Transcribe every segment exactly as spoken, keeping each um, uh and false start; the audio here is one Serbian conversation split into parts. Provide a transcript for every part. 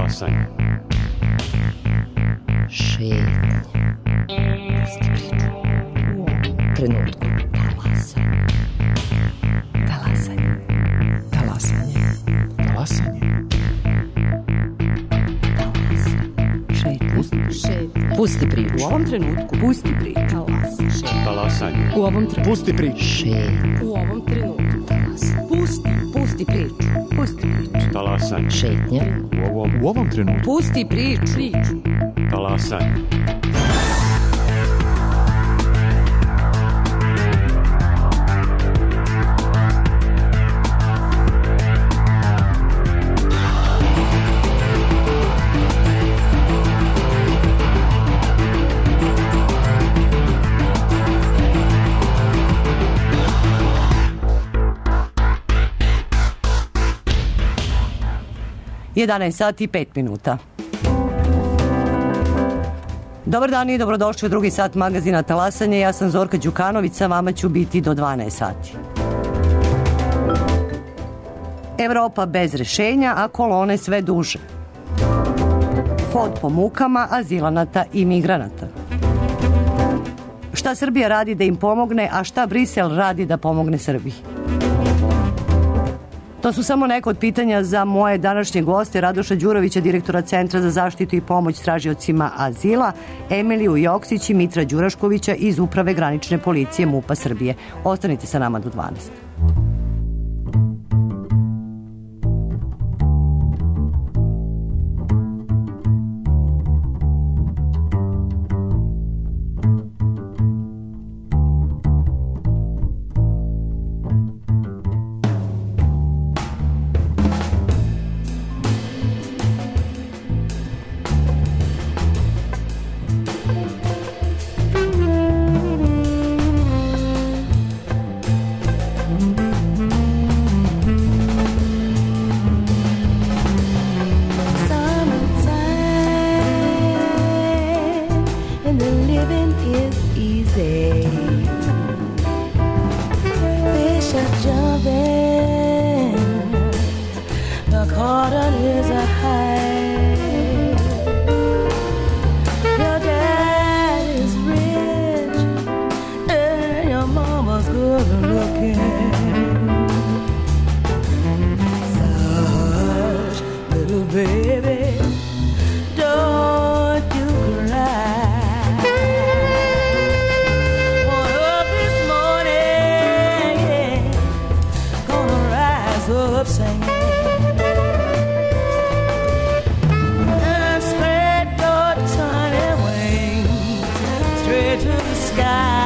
Talasanje. Šetnja. Pusti priču. U ovom trenutku. Talasanje. Talasanje. Talasanje. Talasanje. Šetnja. Šetnja. Pusti priču. U ovom trenutku. Pusti priču. Talasanje. Talasanje. U ovom trenutku. Pusti priču. Šetnja. U ovom trenutku. Talasanje. Pusti. Pusti priču. Pusti priču. Talasanje. Šetnja. U ovom, U ovom trenutku. Pusti priču. Priču. talasanje. jedanaest sati i pet minuta. Dobar dan i dobrodošli u drugi sat magazina Talasanje. Ja sam Zorka Đukanović, sa vama ću biti do dvanaest sati. Evropa bez rešenja, a kolone sve duže. Hod po mukama azilanata i migranata. Šta Srbija radi da im pomogne, a šta Brisel radi da pomogne Srbiji? To su samo neka od pitanja za moje današnje goste, Radoša Đurovića, direktora Centra za zaštitu i pomoć tražiocima azila, Emiliju Joksić i Mitra Đuraškovića iz Uprave granične policije MUP-a Srbije. Ostanite sa nama do dvanaest. To the sky.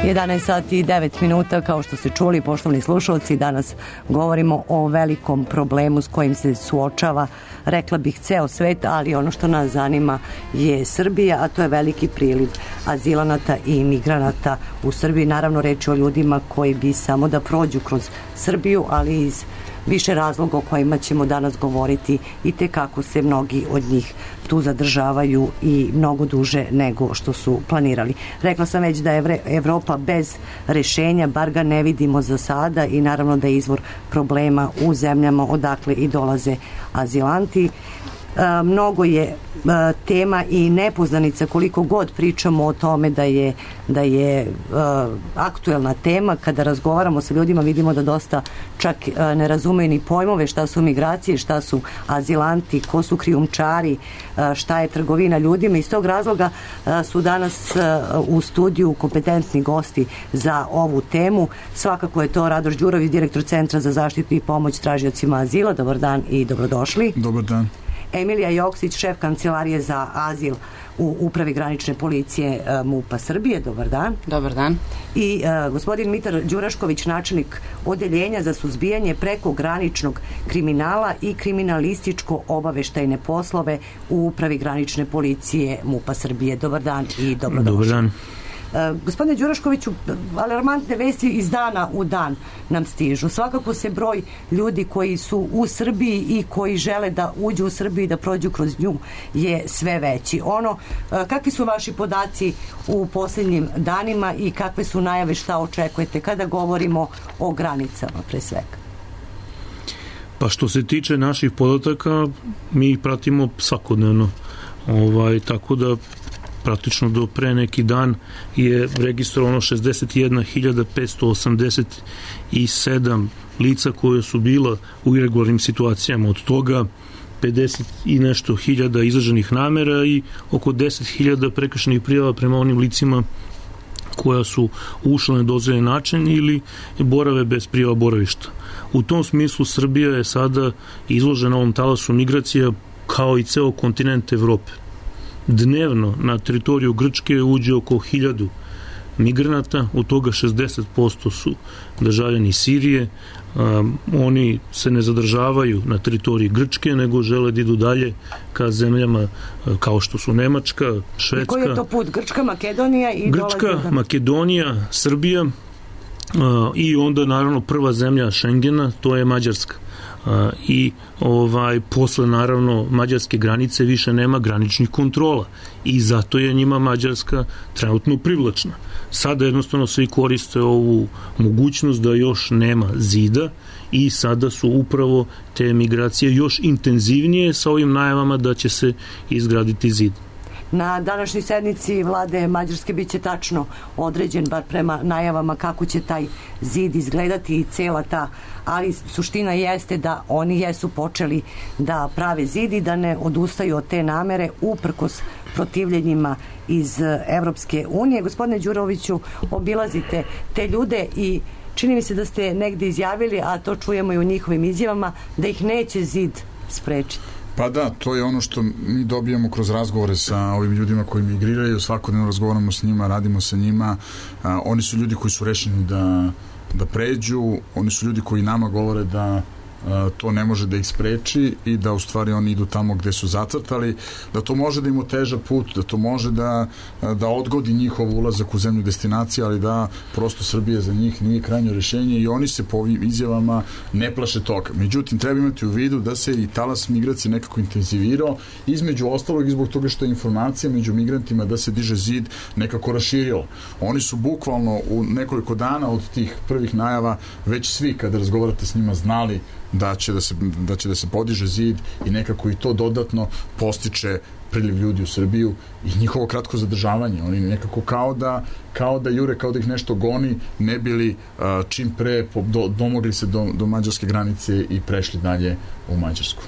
jedanaest sati i devet minuta, kao što ste čuli, poštovani slušalci, danas govorimo o velikom problemu s kojim se suočava, rekla bih, ceo svet, ali ono što nas zanima je Srbija, a to je veliki priliv azilanata i imigranata u Srbiji. Naravno, reč je o ljudima koji bi samo da prođu kroz Srbiju, ali iz više razloga o kojima ćemo danas govoriti i te kako se mnogi od njih tu zadržavaju i mnogo duže nego što su planirali. Rekla sam već da je Evropa bez rešenja, bar ga ne vidimo za sada, i naravno da je izvor problema u zemljama odakle i dolaze azilanti. E, mnogo je e, tema i nepoznanica, koliko god pričamo o tome da je, da je e, aktuelna tema. Kada razgovaramo sa ljudima vidimo da dosta čak e, ne razumeju ni pojmove šta su migracije, šta su azilanti, ko su krijumčari, e, šta je trgovina ljudima. Iz tog razloga e, su danas e, u studiju kompetentni gosti za ovu temu. Svakako je to Radoš Đurović, direktor Centra za zaštitu i pomoć tražiocima azila. Dobar dan i dobrodošli. Dobar dan. Emilija Joksić, šef kancelarije za azil u Upravi granične policije MUP-a Srbije. Dobar dan. Dobar dan. I uh, gospodin Mitar Đurašković, načelnik odeljenja za suzbijanje prekograničnog kriminala i kriminalističko-obaveštajne poslove u Upravi granične policije MUP-a Srbije. Dobar dan i dobrodošli. Dobar dan. Uh, gospodine Đuraškoviću, alarmantne vesti iz dana u dan nam stižu. Svakako se broj ljudi koji su u Srbiji i koji žele da uđu u Srbiju i da prođu kroz nju je sve veći. Ono, uh, kakvi su vaši podaci u posljednjim danima i kakve su najave, šta očekujete kada govorimo o granicama pre svega? Pa što se tiče naših podataka, mi ih pratimo svakodnevno. Ovaj, tako da praktično do pre neki dan je registrovano šezdeset jedna hiljada petsto osamdeset sedam lica koje su bila u irregularnim situacijama. Od toga pedeset i nešto hiljada izraženih namera i oko deset hiljada prekršenih prijava prema onim licima koja su ušla na nedozvoljen način ili borave bez prijava boravišta. U tom smislu Srbija je sada izložena ovom talasu migracija kao i ceo kontinent Evrope. Dnevno na teritoriju Grčke uđe oko hiljadu migranata, od toga šezdeset posto su državljani Sirije. Um, oni se ne zadržavaju na teritoriji Grčke, nego žele da idu dalje ka zemljama kao što su Nemačka, Švedska. I koji je to put? Grčka, Makedonija i Grčka, dolaze... Makedonija, Srbija uh, i onda naravno prva zemlja Šengena, to je Mađarska. Uh, i ovaj posle naravno mađarske granice više nema graničnih kontrola i zato je njima Mađarska trenutno privlačna. Sada jednostavno svi koriste ovu mogućnost da još nema zida i sada su upravo te migracije još intenzivnije sa ovim najavama da će se izgraditi zid. Na današnjoj sednici vlade Mađarske biće tačno određen, bar prema najavama, kako će taj zid izgledati i cela ta, ali suština jeste da oni jesu počeli da prave zid i da ne odustaju od te namere uprkos protivljenjima iz Evropske unije. Gospodine Đuroviću, obilazite te ljude i čini mi se da ste negde izjavili, a to čujemo i u njihovim izjavama, da ih neće zid sprečiti. Pa da, to je ono što mi dobijamo kroz razgovore sa ovim ljudima koji migriraju, svakodnevno razgovaramo s njima, radimo sa njima. A, oni su ljudi koji su rešeni da, da pređu, oni su ljudi koji nama govore da to ne može da ih spreči i da u stvari oni idu tamo gde su zacrtali, da to može da im oteža put, da to može da, da odgodi njihov ulazak u zemlju destinacije, ali da prosto Srbija za njih nije krajnje rešenje i oni se po ovim izjavama ne plaše toga. Međutim, treba imati u vidu da se i talas migracije nekako intenzivirao, između ostalog i zbog toga što je informacija među migrantima da se diže zid nekako raširilo. Oni su bukvalno u nekoliko dana od tih prvih najava već svi kada razgovarate s njima znali da će da se, da će da se podiže zid i nekako i to dodatno postiče priliv ljudi u Srbiju i njihovo kratko zadržavanje. Oni nekako kao da, kao da jure, kao da ih nešto goni, ne bili uh, čim pre do, domogli se do, do mađarske granice i prešli dalje u Mađarsku.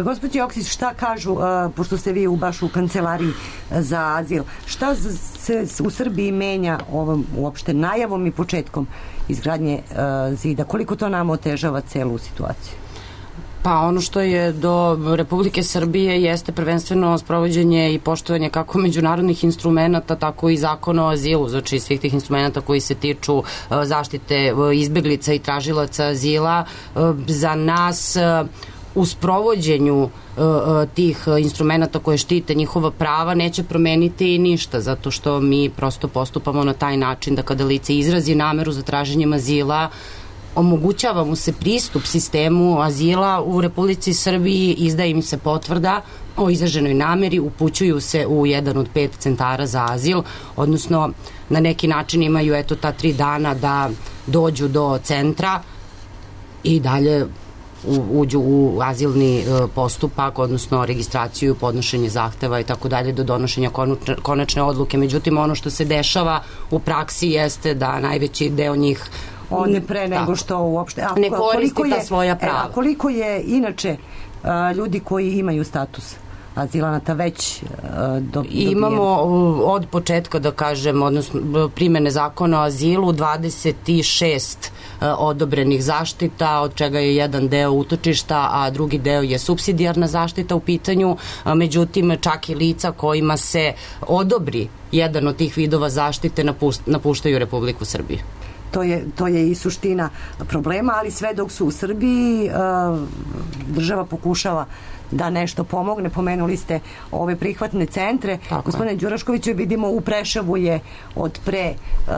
Gospođo Joksić, šta kažu, pošto ste vi u baš u kancelariji za azil, šta se u Srbiji menja ovom uopšte najavom i početkom izgradnje zida? Koliko to nam otežava celu situaciju? Pa ono što je do Republike Srbije jeste prvenstveno sprovođenje i poštovanje kako međunarodnih instrumenta, tako i zakona o azilu, znači svih tih instrumenta koji se tiču zaštite izbeglica i tražilaca azila. Za nas u sprovođenju tih instrumenta koje štite njihova prava neće promeniti ništa, zato što mi prosto postupamo na taj način da kada lice izrazi nameru za traženjem azila, omogućava mu se pristup sistemu azila u Republici Srbiji, izdaje im se potvrda o izraženoj nameri, upućuju se u jedan od pet centara za azil, odnosno na neki način imaju eto ta tri dana da dođu do centra i dalje uđu u azilni postupak, odnosno registraciju, podnošenje zahteva i tako dalje do donošenja konačne odluke. Međutim, ono što se dešava u praksi jeste da najveći deo njih one pre nego što uopšte ne koristi ta svoja prava. A koliko je inače ljudi koji imaju status azilanata već dobijeni? Imamo od početka, da kažem, odnosno primene zakona o azilu dvadeset šest odobrenih zaštita, od čega je jedan deo utočišta, a drugi deo je supsidijarna zaštita u pitanju. Međutim, čak i lica kojima se odobri jedan od tih vidova zaštite napuštaju Republiku Srbiju. To je, to je i suština problema, ali sve dok su u Srbiji država pokušava da nešto pomogne. Pomenuli ste ove prihvatne centre. Tako Gospodine Đuraškoviću, vidimo u Preševu je od pre uh,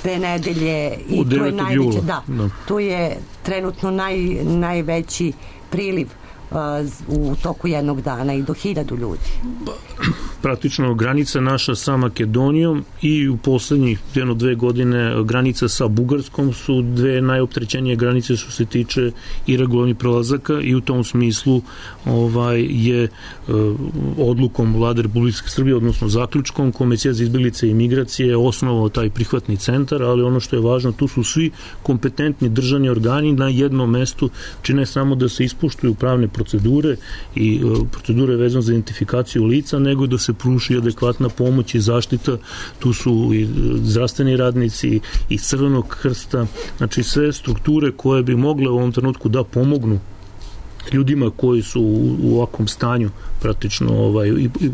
dve nedelje i to je najveće, da, da. Tu je trenutno naj, najveći priliv uh, u toku jednog dana i do hiljadu ljudi. Praktično granica naša sa Makedonijom i u poslednjih jedno dve godine granica sa Bugarskom su dve najopterećenije granice što se tiče irregularnih prelazaka i u tom smislu ovaj je e, odlukom Vlade Republike Srbije, odnosno zaključkom Komisija za izbeglice i migracije osnovao taj prihvatni centar, ali ono što je važno, tu su svi kompetentni državni organi na jednom mestu, čine samo da se ispoštuju pravne procedure i e, procedure vezano za identifikaciju lica, nego da se pruži adekvatna pomoć i zaštita. Tu su i zdravstveni radnici i Crvenog krsta, znači sve strukture koje bi mogle u ovom trenutku da pomognu ljudima koji su u, u ovakvom stanju praktično ovaj, i, i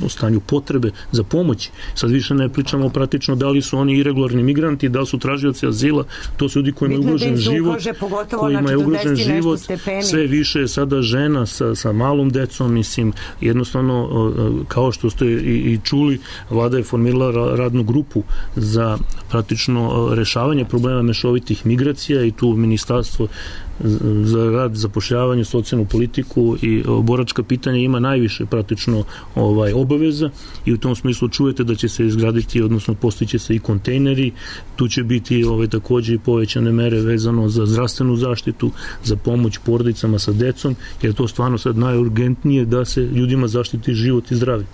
u stanju potrebe za pomoć. Sad više ne pričamo praktično da li su oni irregularni migranti, da li su tražioci azila, to su ljudi koji imaju ugrožen život, koji imaju ugrožen život, sve više je sada žena sa, sa malom decom, mislim, jednostavno, kao što ste i, i čuli, vlada je formirala radnu grupu za praktično rešavanje problema mešovitih migracija i tu ministarstvo za rad, zapošljavanje, socijalnu politiku i boračka pitanja ima najviše praktično ovaj, obaveza i u tom smislu čujete da će se izgraditi, odnosno postiće se i kontejneri, tu će biti ovaj, takođe i povećane mere vezano za zdravstvenu zaštitu, za pomoć porodicama sa decom, jer to stvarno sad najurgentnije da se ljudima zaštiti život i zdravlje.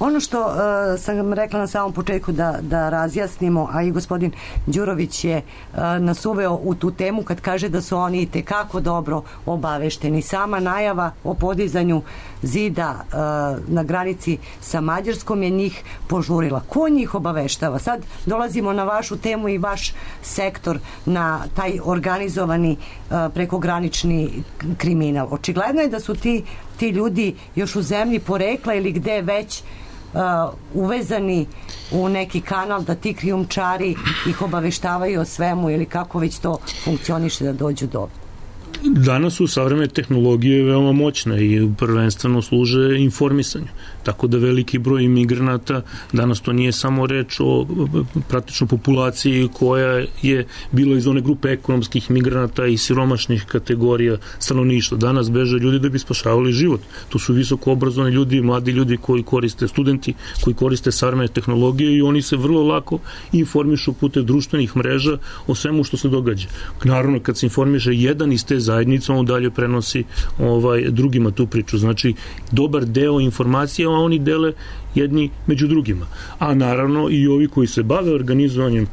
Ono što uh, sam rekla na samom početku da, da razjasnimo, a i gospodin Đurović je uh, nas uveo u tu temu kad kaže da su oni itekako dobro obavešteni. Sama najava o podizanju zida uh, na granici sa Mađarskom je njih požurila. Ko njih obaveštava? Sad dolazimo na vašu temu i vaš sektor, na taj organizovani uh, prekogranični kriminal. Očigledno je da su ti, ti ljudi još u zemlji porekla ili gde već Uh, uvezani u neki kanal da ti krijumčari ih obaveštavaju o svemu ili kako već to funkcioniše da dođu do... Danas su savremene tehnologije veoma moćne i prvenstveno služe informisanju. Tako da veliki broj imigranata, danas to nije samo reč o praktično populaciji koja je bila iz one grupe ekonomskih migranata i siromašnih kategorija stanovništva. Danas beže ljudi da bi spašavali život. To su visoko obrazovani ljudi, mladi ljudi koji koriste, studenti koji koriste savremene tehnologije i oni se vrlo lako informišu putem društvenih mreža o svemu što se događa. Naravno, kad se informiše jedan iz te zajednice, on dalje prenosi ovaj, drugima tu priču. Znači, dobar deo informacija a oni dele jedni među drugima. A naravno i ovi koji se bave organizovanjem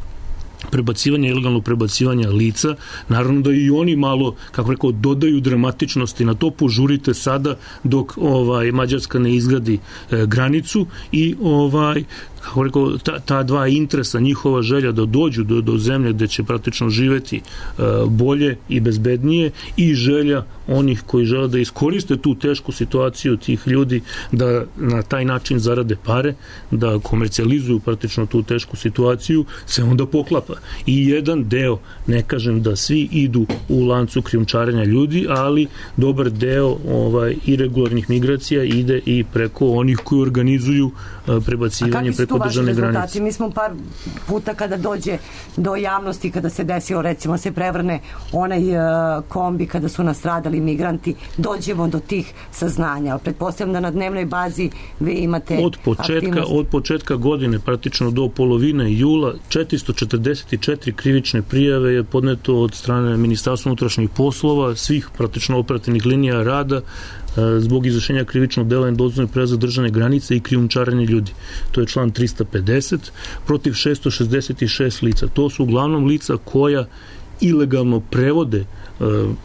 prebacivanja, ilegalnog prebacivanja lica, naravno da i oni malo, kako rekao, dodaju dramatičnosti na to, požurite sada dok ovaj Mađarska ne izgradi e, granicu i ovaj kako rekao, ta, ta dva interesa, njihova želja da dođu do, do zemlje gde će praktično živeti uh, bolje i bezbednije i želja onih koji žele da iskoriste tu tešku situaciju tih ljudi da na taj način zarade pare, da komercijalizuju praktično tu tešku situaciju, se onda poklapa. I jedan deo, ne kažem da svi idu u lancu krijumčarenja ljudi, ali dobar deo ovaj, irregularnih migracija ide i preko onih koji organizuju uh, prebacivanje preko državne granice. Mi smo par puta kada dođe do javnosti, kada se desilo, recimo, se prevrne onaj uh, kombi kada su nastradali migranti, dođemo do tih saznanja. Pretpostavljam da na dnevnoj bazi vi imate od početka, aktivnost. od početka godine, praktično do polovine jula, četiristo četrdeset četiri krivične prijave je podneto od strane Ministarstva unutrašnjih poslova, svih praktično operativnih linija rada zbog izvršenja krivičnog dela nedozvoljene prelaza državne granice i krijumčarenja ljudi. To je član trista pedeset protiv šesto šezdeset šest lica. To su uglavnom lica koja ilegalno prevode e,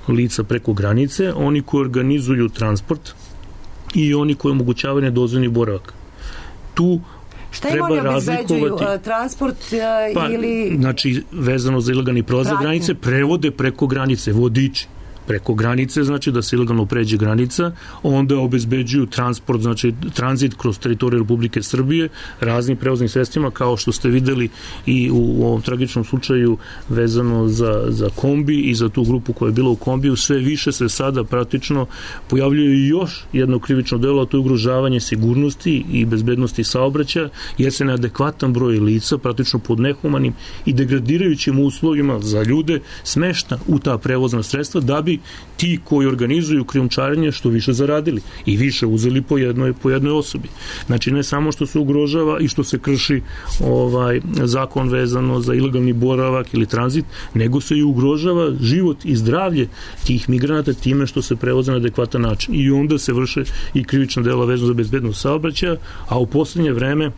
lica preko granice, oni koji organizuju transport i oni koji omogućavaju nedozvoljeni boravak. Tu šta im oni obezbeđuju? Transport uh, pa, ili... Znači, vezano za ilegalni prelazak granice, prevode preko granice, vodiči preko granice, znači da se ilegalno pređe granica, onda obezbeđuju transport, znači tranzit kroz teritoriju Republike Srbije raznim prevoznim sredstvima, kao što ste videli i u, u ovom tragičnom slučaju vezano za, za kombi i za tu grupu koja je bila u kombiju. Sve više se sada praktično pojavljuje još jedno krivično delo, a to je ugrožavanje sigurnosti i bezbednosti saobraćaja, jer se neadekvatan broj lica praktično pod nehumanim i degradirajućim uslovima za ljude smešta u ta prevozna sredstva, da bi ti koji organizuju krijumčarenje što više zaradili i više uzeli po jednoj, po jednoj osobi. Znači, ne samo što se ugrožava i što se krši ovaj zakon vezano za ilegalni boravak ili tranzit, nego se i ugrožava život i zdravlje tih migranata time što se prevoze na adekvatan način. I onda se vrše i krivična dela vezano za bezbednost saobraćaja, a u poslednje vreme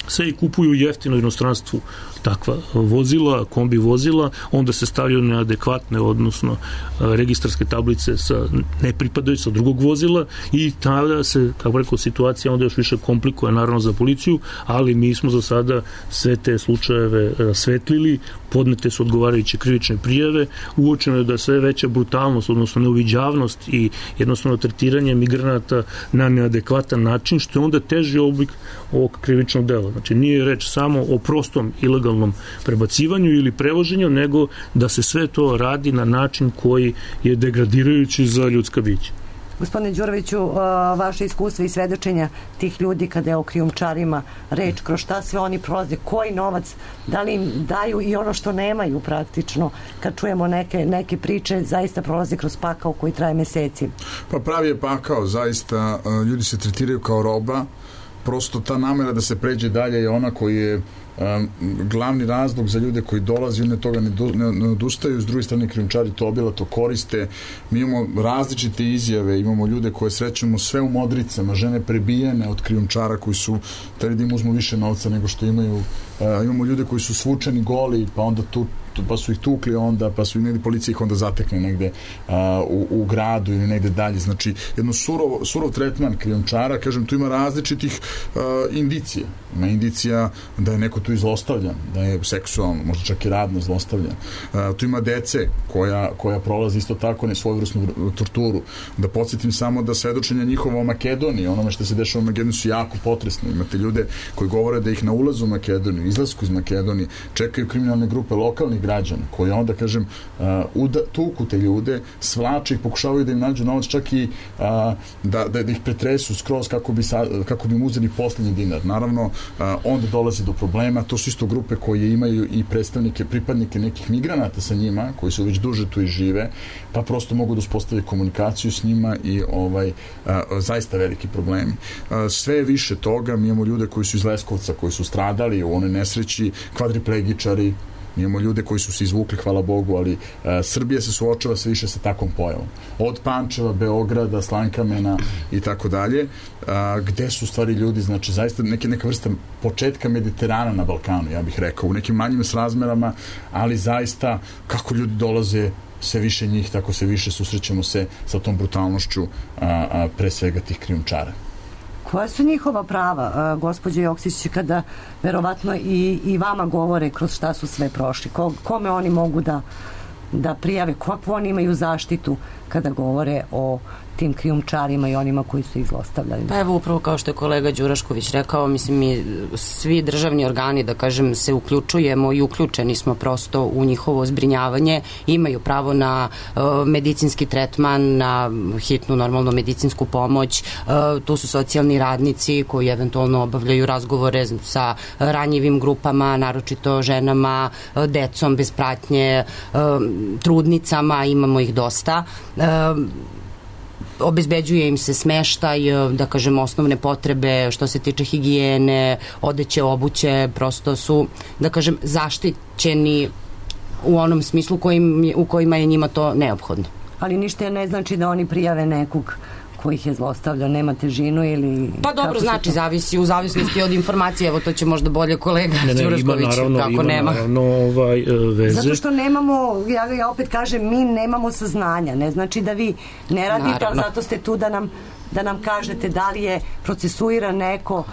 se i kupuju jeftino u inostranstvu takva vozila, kombi vozila, onda se stavljaju neadekvatne, odnosno registarske tablice sa nepripadajući sa drugog vozila i tada se, kako rekao, situacija onda još više komplikuje naravno za policiju, ali mi smo za sada sve te slučajeve rasvetlili, podnete su odgovarajuće krivične prijave, uočeno je da sve veća brutalnost, odnosno neuviđavnost i jednostavno tretiranje migranata na neadekvatan način, što je onda teži oblik ovog krivičnog dela. Znači, nije reč samo o prostom ilegalnom prebacivanju ili prevoženju, nego da se sve to radi na način koji je degradirajući za ljudska bića. Gospodine Đuroviću, vaše iskustva i svedočenja tih ljudi kada je o krijumčarima reč, kroz šta sve oni prolaze, koji novac, da li im daju i ono što nemaju praktično, kad čujemo neke, neke priče, zaista prolaze kroz pakao koji traje meseci. Pa pravi je pakao, zaista ljudi se tretiraju kao roba, prosto ta namera da se pređe dalje je ona koji je Um, glavni razlog za ljude koji dolaze, one toga ne, do, ne, ne odustaju, s druge strane krijumčari to obilato koriste. Mi imamo različite izjave, imamo ljude koje srećemo sve u modricama, žene prebijene od krijumčara koji su da im uzmu više novca nego što imaju. Uh, imamo ljude koji su svučeni goli, pa onda tu pa su ih tukli onda, pa su i negdje policija ih onda zatekne negde uh, u, u gradu ili negde dalje. Znači, jedno surov, surov tretman krijumčara, kažem, tu ima različitih uh, indicija. Ima indicija da je neko tu i zlostavljan, da je seksualno, možda čak i radno zlostavljan. Uh, tu ima dece koja, koja prolazi isto tako nesvojevrsnu torturu. Da podsjetim samo da svedočenja njihova o Makedoniji, onome što se dešava u Makedoniji su jako potresne. Imate ljude koji govore da ih na ulazu u Makedoniju, izlasku iz Makedonije, čekaju kriminalne grupe lokalnih građana, koji onda, kažem, uh, uda, tuku te ljude, svlače ih, pokušavaju da im nađu novac, čak i uh, da, da, da ih pretresu skroz kako bi, sa, kako bi im uzeli poslednji dinar. Naravno, uh, onda dolazi do problema. To su isto grupe koje imaju i predstavnike, pripadnike nekih migranata sa njima, koji su već duže tu i žive, pa prosto mogu da uspostave komunikaciju s njima i ovaj, uh, zaista veliki problemi. Uh, sve je više toga, mi imamo ljude koji su iz Leskovca, koji su stradali u onoj nesreći, kvadriplegičari, imamo ljude koji su se izvukli, hvala Bogu, ali uh, Srbija se suočava sve više sa takvom pojavom. Od Pančeva, Beograda, Slankamena i tako dalje, gde su stvari ljudi, znači zaista neke, neka vrsta početka Mediterana na Balkanu, ja bih rekao, u nekim manjim srazmerama, ali zaista kako ljudi dolaze, sve više njih, tako sve više susrećemo se sa tom brutalnošću a, a, pre svega tih krijumčara. Koja su njihova prava, gospođo Joksić, kada verovatno i, i vama govore kroz šta su sve prošli? Ko, kome oni mogu da, da prijave? Kako oni imaju zaštitu kada govore o tim krijumčarima i onima koji su ih zlostavljali? Pa evo, upravo kao što je kolega Đurašković rekao, mislim, mi svi državni organi, da kažem, se uključujemo i uključeni smo prosto u njihovo zbrinjavanje, imaju pravo na uh, medicinski tretman, na hitnu, normalno medicinsku pomoć, uh, tu su socijalni radnici koji eventualno obavljaju razgovore sa ranjivim grupama, naročito ženama, uh, decom bez pratnje, uh, trudnicama, imamo ih dosta. Uh, obezbeđuje im se smeštaj, da kažem, osnovne potrebe što se tiče higijene, odeće, obuće, prosto su, da kažem, zaštićeni u onom smislu kojim, u kojima je njima to neophodno. Ali ništa ne znači da oni prijave nekog ko ih je zlostavljao, nema težinu ili... Pa dobro, znači, to... zavisi, u zavisnosti od informacije, evo to će možda bolje kolega Đurašković, kako ima, nema. Naravno, ovaj, veze. Zato što nemamo, ja, ja opet kažem, mi nemamo saznanja, ne znači da vi ne radite, naravno, ali zato ste tu da nam da nam kažete da li je procesuiran neko uh,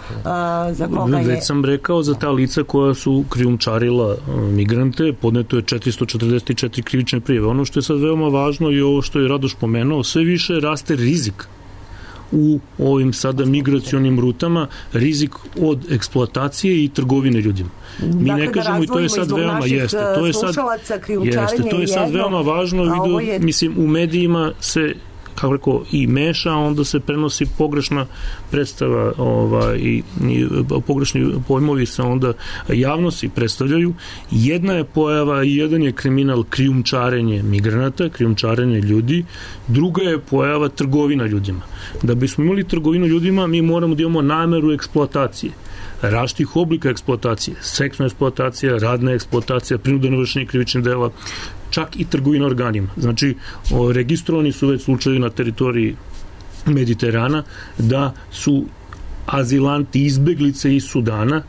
za koga je... Već sam rekao, za ta lica koja su krijumčarila uh, migrante, podneto je četiristo četrdeset četiri krivične prijave. Ono što je sad veoma važno i ovo što je Radoš pomenuo, sve više raste rizik u ovim sada migracionim rutama, rizik od eksploatacije i trgovine ljudima. Mi dakle, ne kažemo, i to je sad veoma jeste, to je sad, jeste, to je sad jedno, veoma važno, vidu, je... mislim, u medijima se, kako rekao, i meša, onda se prenosi pogrešna predstava, ovaj, i, i pogrešni pojmovi se onda javnosti predstavljaju. Jedna je pojava i jedan je kriminal krijumčarenje migranata, krijumčarenje ljudi, druga je pojava trgovina ljudima. Da bismo imali trgovinu ljudima, mi moramo da imamo nameru eksploatacije, različitih oblika eksploatacije, seksna eksploatacija, radna eksploatacija, prinudno vršenje krivičnih dela, čak i trgovina organima. Znači, o, registrovani su već slučajevi na teritoriji Mediterana da su azilanti, izbeglice iz Sudana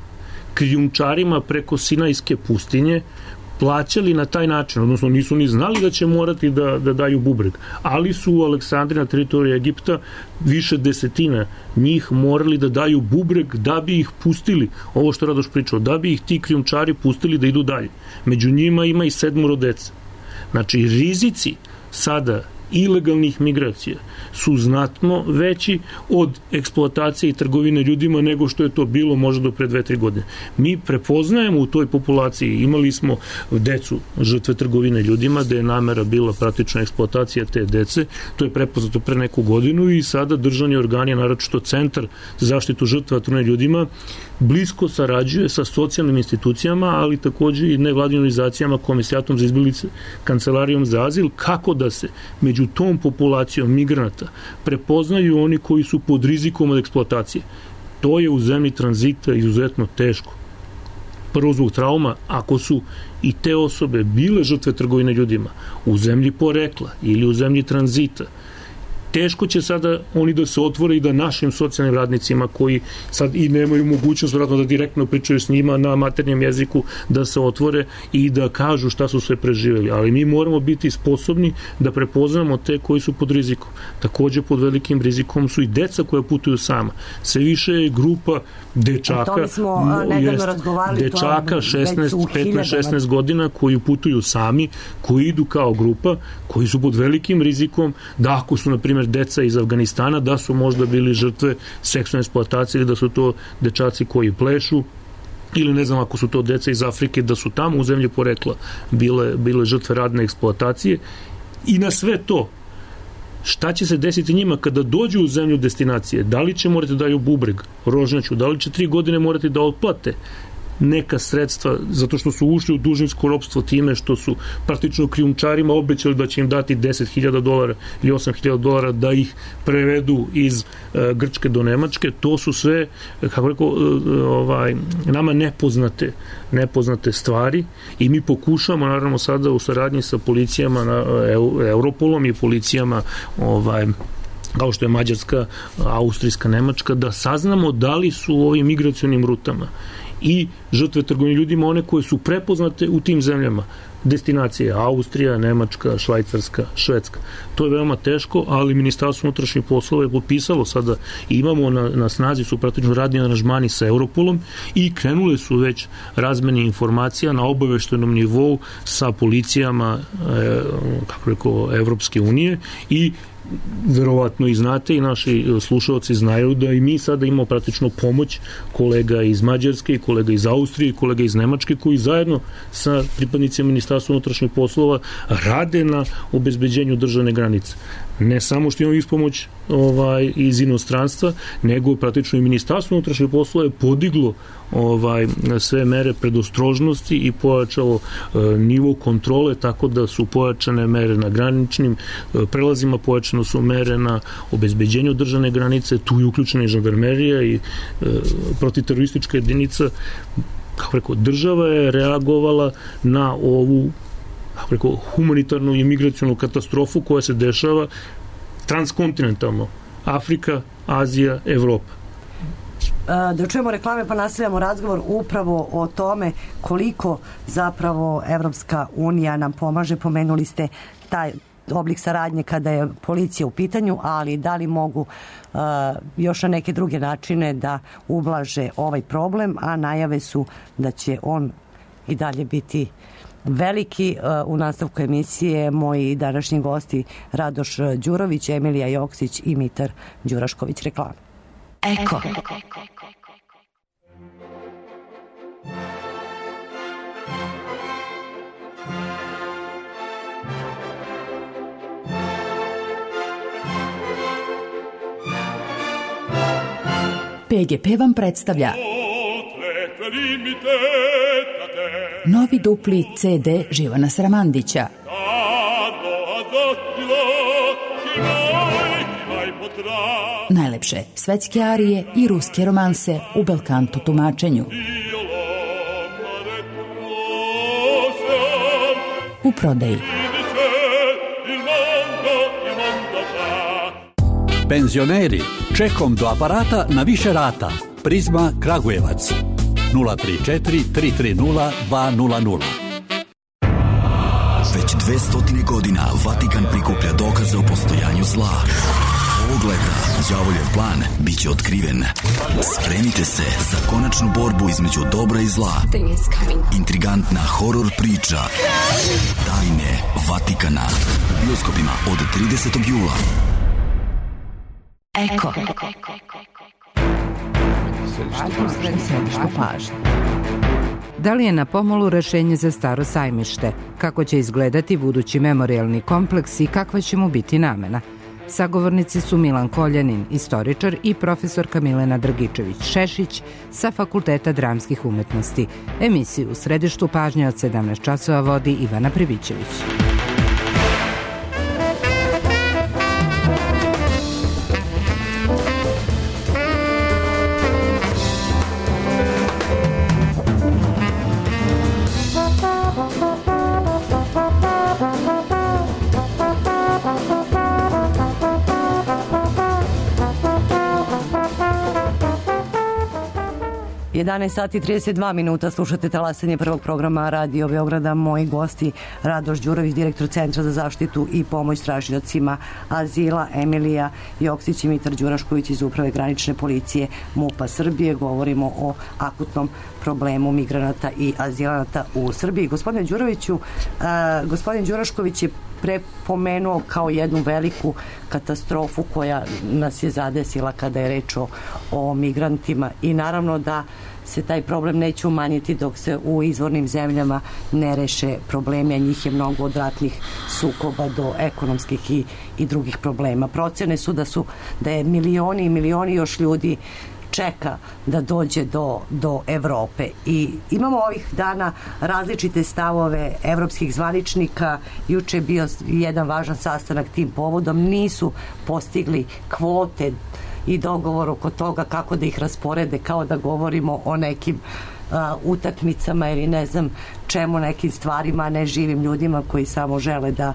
krijumčarima preko Sinajske pustinje plaćali na taj način, odnosno nisu ni znali da će morati da, da daju bubreg, ali su u Aleksandriji na teritoriji Egipta više desetina njih morali da daju bubreg da bi ih pustili, ovo što Radoš pričao, da bi ih ti krijumčari pustili da idu dalje. Među njima ima i sedmoro dece. Znači, rizici sada ilegalnih migracija su znatno veći od eksploatacije i trgovine ljudima nego što je to bilo možda do pre dve, tri godine. Mi prepoznajemo u toj populaciji, imali smo decu žrtve trgovine ljudima, da je namera bila praktična eksploatacija te dece, to je prepoznato pre neku godinu i sada državni organi, naročito Centar za zaštitu žrtva trgovine ljudima, blisko sarađuje sa socijalnim institucijama, ali takođe i nevladinim organizacijama, Komisijatom za izbeglice, Kancelarijom za azil, kako da se među tom populacijom migranata prepoznaju oni koji su pod rizikom od eksploatacije. To je u zemlji tranzita izuzetno teško. Prvo zbog trauma, ako su i te osobe bile žrtve trgovine ljudima u zemlji porekla ili u zemlji tranzita, teško će sada oni da se otvore i da našim socijalnim radnicima koji sad i nemaju mogućnost vratno da direktno pričaju s njima na maternjem jeziku, da se otvore i da kažu šta su sve preživeli. Ali mi moramo biti sposobni da prepoznamo te koji su pod rizikom. Takođe pod velikim rizikom su i deca koja putuju sama. Sve više je grupa dečaka, smo, jest, dečaka šesnaest, petnaest, šesnaest godina koji putuju sami, koji idu kao grupa, koji su pod velikim rizikom da ako su, na primjer, deca iz Afganistana, da su možda bili žrtve seksualne eksploatacije ili da su to dečaci koji plešu ili ne znam ako su to deca iz Afrike, da su tamo u zemlji porekla bile, bile žrtve radne eksploatacije. I na sve to, šta će se desiti njima kada dođu u zemlju destinacije? Da li će morati da daju bubreg, rožnjaču, da li će tri godine morati da otplate neka sredstva, zato što su ušli u dužničko ropstvo time što su praktično krijumčarima obećali da će im dati deset hiljada dolara ili osam hiljada dolara da ih prevedu iz uh, Grčke do Nemačke. To su sve, kako rekao, uh, ovaj, nama nepoznate, nepoznate stvari i mi pokušamo, naravno, sada u saradnji sa policijama, na, uh, Europolom i policijama ovaj, kao što je Mađarska, Austrijska, Nemačka, da saznamo da li su u ovim migracionim rutama i žrtve trgovine ljudima, one koje su prepoznate u tim zemljama. Destinacije Austrija, Nemačka, Švajcarska, Švedska. To je veoma teško, ali Ministarstvo unutrašnjih poslova je potpisalo sada i imamo na, na snazi su praktično radni aranžmani sa Europolom i krenule su već razmene informacija na obaveštenom nivou sa policijama e, kako rekao, Evropske unije i verovatno i znate i naši slušalci znaju da i mi sada imamo praktično pomoć kolega iz Mađarske i kolega iz Austrije i kolega iz Nemačke koji zajedno sa pripadnicima Ministarstva unutrašnjih poslova rade na obezbeđenju državne granice. Ne samo što imamo ispomoć ovaj, iz inostranstva, nego praktično i Ministarstvo unutrašnjih poslova je podiglo ovaj, sve mere predostrožnosti i pojačalo e, nivo kontrole, tako da su pojačane mere na graničnim e, prelazima, pojačane su mere na obezbeđenju državne granice, tu je uključena i žandarmerija i e, protiteroristička jedinica. Kako rekao, država je reagovala na ovu kako rekao, humanitarnu i migracionu katastrofu koja se dešava transkontinentalno. Afrika, Azija, Evropa. Da čujemo reklame pa nastavljamo razgovor upravo o tome koliko zapravo Evropska unija nam pomaže. Pomenuli ste taj oblik saradnje kada je policija u pitanju, ali da li mogu uh, još na neke druge načine da ublaže ovaj problem, a najave su da će on i dalje biti veliki. U nastavku emisije moji današnji gosti Radoš Đurović, Emilija Joksić i Mitar Đurašković. Reklama. Eko. P G P vam predstavlja novi dupli C D Živana Sramandića. Najlepše svetske arije i ruske romanse u belkanto tumačenju. U prodaji. Penzioneri, čekom do aparata na više rata. Prizma Kragujevac. nula tri četiri tri tri nula dva nula nula. Već dvesta godina Vatikan prikuplja dokaze o postojanju zla. Ovog leta đavoljev plan biće otkriven. Spremite se za konačnu borbu između dobra i zla. Intrigantna horor priča Tajne Vatikana u bioskopima od tridesetog jula. Eko. Središte pažnje. Da li je na pomolu rešenje za Staro sajmište? Kako će izgledati budući memorijalni kompleks i kakva će mu biti namena? Sagovornici su Milan Koljanin, istoričar, i profesorka Milena Drgičević-Šešić sa Fakulteta dramskih umetnosti. Emisiju u središtu pažnje od sedamnaest časova vodi Ivana Pribićević. jedanaest sati i trideset dva minuta, slušate talasanje prvog programa Radio Beograda. Moji gosti Radoš Đurović, direktor Centra za zaštitu i pomoć tražiocima azila, Emilija Joksić i Mitar Đurašković iz Uprave granične policije MUP-a Srbije. Govorimo o akutnom problemu migranata i azilanata u Srbiji. Gospodine Đuroviću, a, gospodin Đurašković je prepomenuo kao jednu veliku katastrofu koja nas je zadesila kada je reč o, o migrantima i naravno da se taj problem neće umanjiti dok se u izvornim zemljama ne reše problemi, a njih je mnogo od ratnih sukoba do ekonomskih i, i drugih problema. Procene su da su da je milioni i milioni još ljudi čeka da dođe do, do Evrope i imamo ovih dana različite stavove evropskih zvaničnika. Juče je bio jedan važan sastanak tim povodom, nisu postigli kvote i dogovor oko toga kako da ih rasporede, kao da govorimo o nekim a, utakmicama ili ne znam čemu, nekim stvarima, a ne živim ljudima koji samo žele da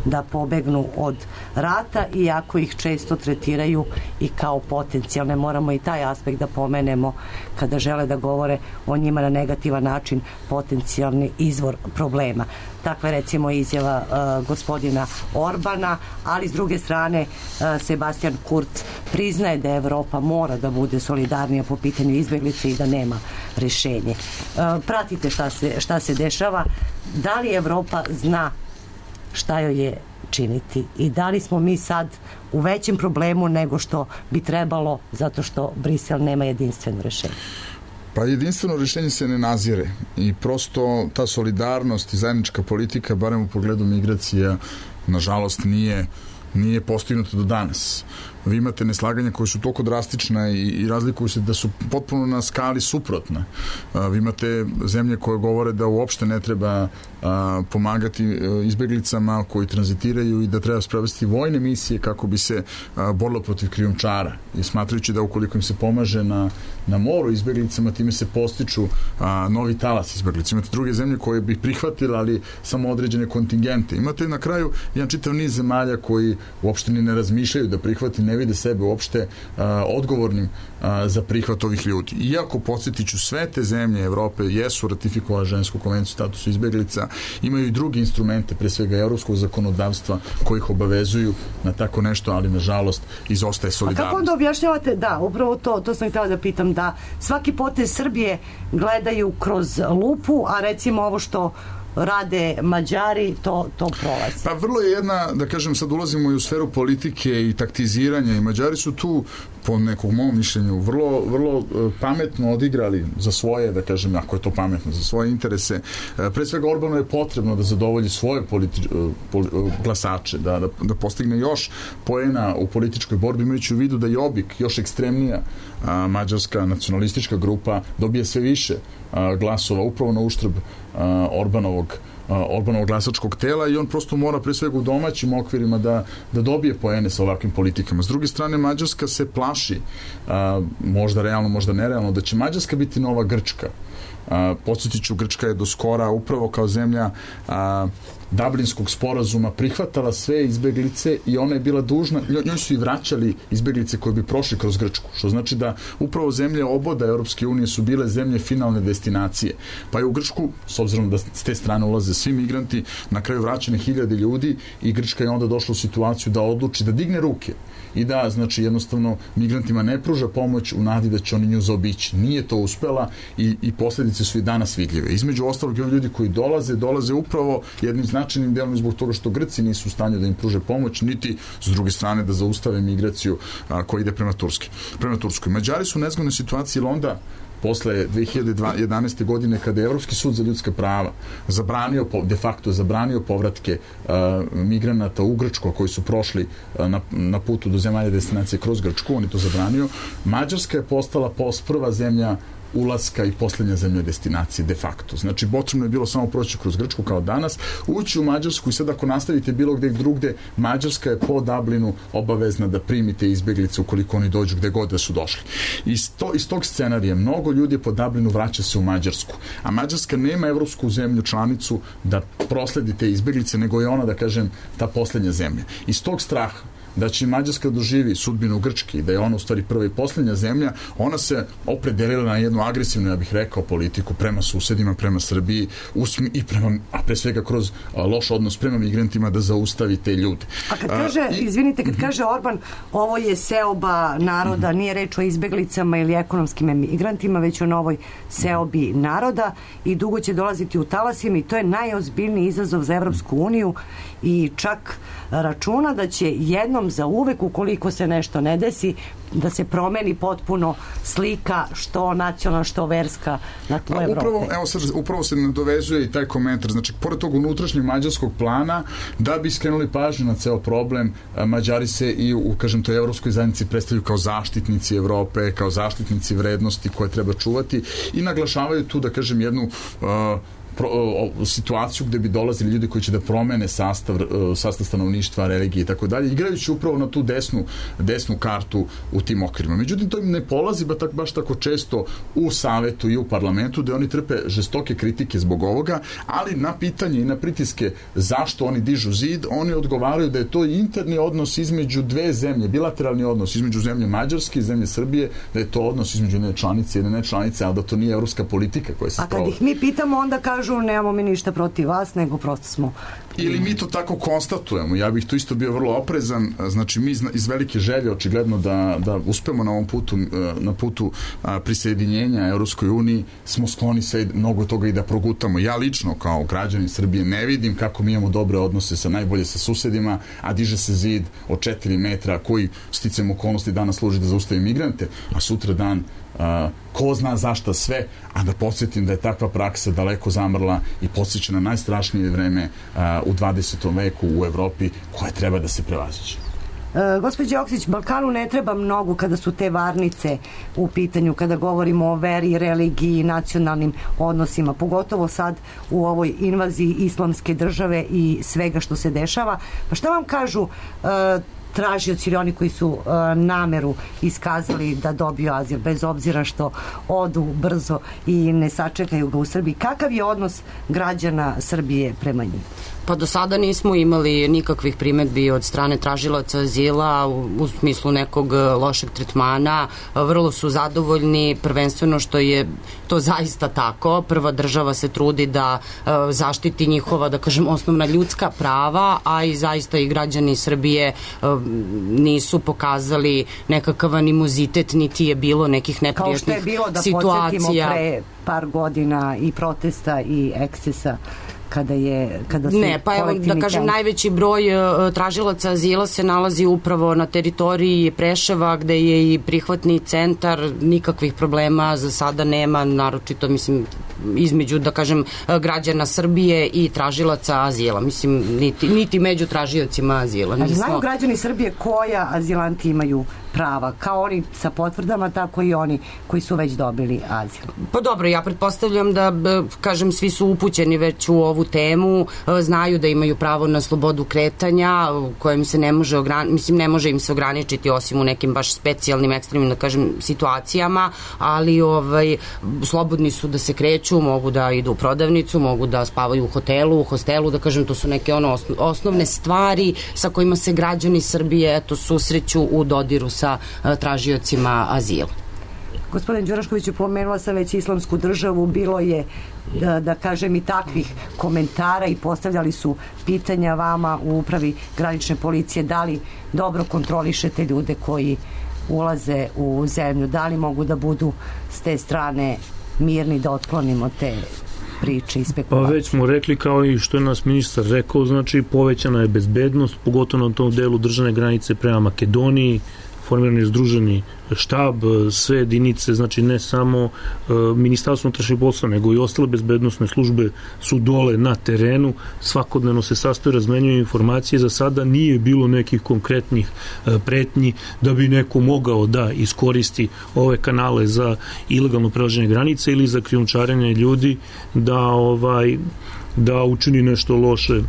da pobegnu od rata, iako ih često tretiraju i kao potencijalne. Moramo i taj aspekt da pomenemo kada žele da govore o njima na negativan način, potencijalni izvor problema. Takva je recimo izjava uh, gospodina Orbana, ali s druge strane uh, Sebastian Kurz priznaje da Evropa mora da bude solidarnija po pitanju izbeglice i da nema rešenje. Uh, pratite šta se, šta se dešava. Da li Evropa zna šta joj je činiti i da li smo mi sad u većem problemu nego što bi trebalo zato što Brisel nema jedinstveno rešenje? Pa jedinstveno rešenje se ne nazire i prosto ta solidarnost i zajednička politika, barem u pogledu migracija, nažalost nije nije postignuto do danas. Vi imate neslaganja koje su toliko drastična i, i razlikuju se da su potpuno na skali suprotne. A, vi imate zemlje koje govore da uopšte ne treba a, pomagati a, izbeglicama koji tranzitiraju i da treba sprovesti vojne misije kako bi se a, borilo protiv krijumčara. I smatrajući da ukoliko im se pomaže na, na moru izbeglicama, time se postiču a, novi talas izbeglica. Imate druge zemlje koje bi prihvatile, ali samo određene kontingente. Imate na kraju jedan čitav niz zemalja koji uopšte ni ne razmišljaju da prihvati, ne vide sebe uopšte a, odgovornim a, za prihvat ovih ljudi. Iako, podsjetiću, sve te zemlje Evrope jesu ratifikovale žensku konvenciju statusu izbeglica, imaju i druge instrumente, pre svega evropskog zakonodavstva, koji ih obavezuju na tako nešto, ali nažalost izostaje solidarnost. A kako onda objašnjavate, da, upravo to, to sam htjela da pitam, da svaki potez Srbije gledaju kroz lupu, a recimo ovo što rade Mađari, to, to prolazi. Pa vrlo je jedna, da kažem, sad ulazimo i u sferu politike i taktiziranja i Mađari su tu, po nekom mom mišljenju, vrlo, vrlo pametno odigrali za svoje, da kažem, ako je to pametno, za svoje interese. Pre svega Orbanu je potrebno da zadovolji svoje politi- pol, glasače, da, da, da postigne još poena u političkoj borbi, imajući u vidu da Jobbik, još ekstremnija a, mađarska nacionalistička grupa, dobije sve više a, glasova upravo na uštrb a, Orbanovog Orbanovog glasačkog tela i on prosto mora pre svega u domaćim okvirima da, da dobije poene sa ovakvim politikama. S druge strane, Mađarska se plaši, a, možda realno, možda nerealno, da će Mađarska biti nova Grčka. Podsjetit ću, Grčka je do skora upravo kao zemlja a, Dublinskog sporazuma prihvatala sve izbeglice i ona je bila dužna, njoj su i vraćali izbeglice koje bi prošli kroz Grčku, što znači da upravo zemlje oboda Europske unije su bile zemlje finalne destinacije. Pa je u Grčku, s obzirom da s te strane ulaze svi migranti, na kraju vraćene hiljade ljudi i Grčka je onda došla u situaciju da odluči da digne ruke i da, znači, jednostavno migrantima ne pruža pomoć u nadi da će oni nju zaobići. Nije to uspela i, i posljedice su i danas vidljive. Između ostalog, ljudi koji dolaze, dolaze upravo jednim značajnim delom zbog toga što Grci nisu u stanju da im pruže pomoć, niti s druge strane da zaustave migraciju a, koja ide prema Turski. Prema Turskoj. Mađari su u nezgodnoj situaciji, jer onda posle dve hiljade jedanaeste. godine, kada je Evropski sud za ljudska prava zabranio, de facto zabranio povratke uh, migranata u Grčku koji su prošli uh, na, na putu do zemalja destinacije kroz Grčku, on je to zabranio. Mađarska je postala post prva zemlja ulaska i posljednja zemlja destinacije de facto. Znači, potrebno je bilo samo proći kroz Grčku kao danas, ući u Mađarsku i sad ako nastavite bilo gde drugde, Mađarska je po Dublinu obavezna da primite izbeglice ukoliko oni dođu gde god da su došli. Iz, to, iz tog scenarija mnogo ljudi po Dublinu vraća se u Mađarsku, a Mađarska nema evropsku zemlju članicu da prosledi te izbeglice, nego je ona, da kažem, ta posljednja zemlja. Iz tog straha da će Mađarska doživi sudbinu Grčke i da je ona u stvari prva i posljednja zemlja, ona se opredelila na jednu agresivnu, ja bih rekao, politiku prema susedima, prema Srbiji usmi, i prema, a pre svega kroz a, loš odnos prema migrantima da zaustavi te ljude. A kad kaže, a, i, izvinite, kad kaže Orban, ovo je seoba naroda, uh-huh. nije reč o izbeglicama ili ekonomskim migrantima, već o novoj seobi naroda i dugo će dolaziti u talasima i to je najozbiljniji izazov za Evropsku uniju i čak računa da će jednom za uvek, ukoliko se nešto ne desi, da se promeni potpuno slika što nacionalna, što verska na tlu Evrope. Upravo, evo, sad, upravo se nadovezuje i taj komentar. Znači, pored tog unutrašnjeg mađarskog plana, da bi skrenuli pažnju na ceo problem, Mađari se i u, kažem, toj evropskoj zajednici predstavljaju kao zaštitnici Evrope, kao zaštitnici vrednosti koje treba čuvati i naglašavaju tu, da kažem, jednu uh, pro, o, situaciju gde bi dolazili ljudi koji će da promene sastav, sastav stanovništva, religije i tako dalje, igrajući upravo na tu desnu, desnu kartu u tim okvirima. Međutim, to im ne polazi ba tak, baš tako često u savetu i u parlamentu, gde oni trpe žestoke kritike zbog ovoga, ali na pitanje i na pritiske zašto oni dižu zid, oni odgovaraju da je to interni odnos između dve zemlje, bilateralni odnos između zemlje Mađarske i zemlje Srbije, da je to odnos između jedne članice i jedne nečlanice, ali da to nije evropska politika koja se sprovodi. A kad ih mi pitamo, onda kažu nemamo mi ništa protiv vas, nego prosto smo... Ili mi to tako konstatujemo. Ja bih to isto bio vrlo oprezan. Znači, mi iz velike želje očigledno da, da uspemo na ovom putu, na putu prisjedinjenja Evropskoj uniji, smo skloni sve mnogo toga i da progutamo. Ja lično, kao građanin Srbije, ne vidim kako mi imamo dobre odnose sa najbolje sa susedima, a diže se zid od četiri metra koji sticam okolnosti danas služi da zaustavi migrante, a sutra dan Uh, ko zna zašta sve, a da podsjetim da je takva praksa daleko zamrla i podsjeća na najstrašnije vreme uh, u dvadesetom veku u Evropi koje treba da se prevaziđe. E, gospođo Joksić, Balkanu ne treba mnogo kada su te varnice u pitanju, kada govorimo o veri, religiji, nacionalnim odnosima, pogotovo sad u ovoj invaziji islamske države i svega što se dešava. Pa šta vam kažu e, tražioci ili oni koji su uh, nameru iskazali da dobiju azil, bez obzira što odu brzo i ne sačekaju ga u Srbiji? Kakav je odnos građana Srbije prema njima? Pa do sada nismo imali nikakvih primetbi od strane tražilaca azila u, u smislu nekog lošeg tretmana. Vrlo su zadovoljni, prvenstveno što je to zaista tako. Prva država se trudi da uh, zaštiti njihova, da kažem, osnovna ljudska prava, a i zaista i građani Srbije uh, nisu pokazali nekakav animozitet, niti je bilo nekih neprijatnih situacija. Kao što je bilo, da podsjetimo, pre par godina i protesta i ekscesa kada je kada su ne, pa evo da kažem, najveći broj uh, tražilaca azila se nalazi upravo na teritoriji Preševa, gde je i prihvatni centar, nikakvih problema za sada nema, naročito mislim između, da kažem, građana Srbije i tražilaca azila, mislim niti, niti među tražiocima azila. Nismo... Znaju građani Srbije koja azilanti imaju prava, kao oni sa potvrdama, tako i oni koji su već dobili azil? Pa dobro, ja pretpostavljam da, kažem, svi su upućeni već u ovu temu, znaju da imaju pravo na slobodu kretanja, kojem se ne može ograničiti, mislim, ne može im se ograničiti osim u nekim baš specijalnim, ekstremnim, da kažem, situacijama, ali ovaj, slobodni su da se kreću, mogu da idu u prodavnicu, mogu da spavaju u hotelu, u hostelu, da kažem, to su neke ono osnovne stvari sa kojima se građani Srbije eto susreću u dodiru sa tražiocima azila. Gospodin Đurašković, pomenula sam već islamsku državu, bilo je, da, da kažem, i takvih komentara i postavljali su pitanja vama u upravi granične policije, da li dobro kontrolišete ljude koji ulaze u zemlju, da li mogu da budu s te strane mirni da otklonimo te priče i spekulacije. Pa već smo rekli, kao i što je nas ministar rekao, znači povećana je bezbednost, pogotovo na tom delu državne granice prema Makedoniji, formiran je združeni štab, sve jedinice, znači ne samo e, Ministarstvo unutrašnjih poslova, nego i ostale bezbednosne službe su dole na terenu, svakodnevno se sastoje, razmenjuju informacije, za sada nije bilo nekih konkretnih e, pretnji da bi neko mogao da iskoristi ove kanale za ilegalno prelaženje granice ili za krijumčarenje ljudi da ovaj da učini nešto loše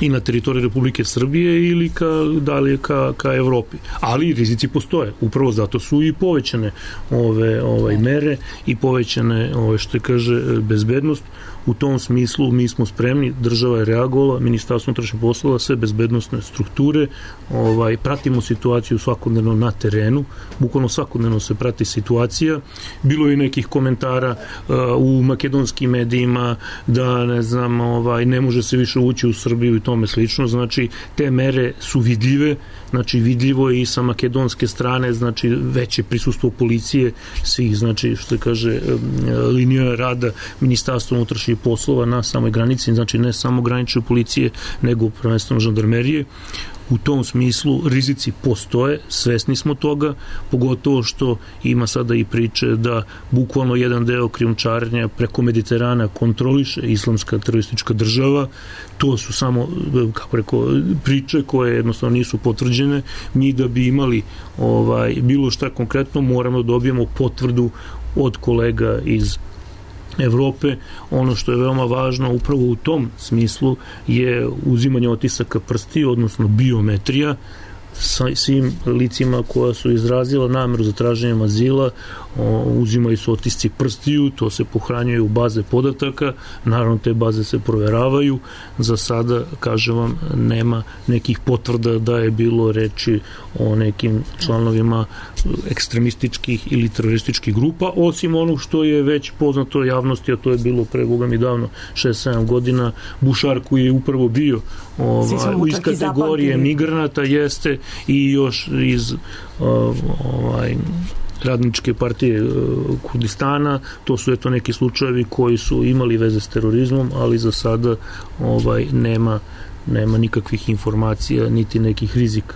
i na teritoriji Republike Srbije ili ka, dalje ka, ka Evropi. Ali rizici postoje. Upravo zato su i povećane ove ovaj mere i povećane ove što je kaže bezbednost. U tom smislu mi smo spremni, država je reagovala, Ministarstvo unutrašnjih poslova, sve bezbednosne strukture, ovaj pratimo situaciju svakodnevno na terenu, bukvalno svakodnevno se prati situacija. Bilo je nekih komentara uh, u makedonskim medijima da ne znam, ovaj ne može se više ući u Srbiju i tome slično, znači te mere su vidljive, znači vidljivo je i sa makedonske strane, znači veće prisustvo policije, svih, znači što se kaže linija rada Ministarstva unutrašnjih poslova na samoj granici, znači ne samo granične policije, nego prvenstveno žandarmerije. U tom smislu rizici postoje, svesni smo toga, pogotovo što ima sada i priče da bukvalno jedan deo krijumčarenja preko Mediterana kontroliše islamska teroristička država. To su samo, kako rekao, priče koje jednostavno nisu potvrđene. Mi da bi imali ovaj bilo šta konkretno moramo da dobijemo potvrdu od kolega iz Evrope. Ono što je veoma važno upravo u tom smislu je uzimanje otisaka prsti, odnosno biometrija, sa svim licima koja su izrazila nameru za traženjem azila, o, uzimaju se otisci prstiju, to se pohranjuje u baze podataka, naravno te baze se proveravaju. Za sada, kažem vam, nema nekih potvrda da je bilo reči o nekim članovima ekstremističkih ili terorističkih grupa, osim onog što je već poznato javnosti, a to je bilo pre Boga mi davno, šest sedam godina, Bušar koji je upravo bio ovaj, iz kategorije migranata, jeste, i još iz ovaj, radničke partije Kurdistana. To su eto neki slučajevi koji su imali veze s terorizmom, ali za sada ovaj, nema, nema nikakvih informacija niti nekih rizika.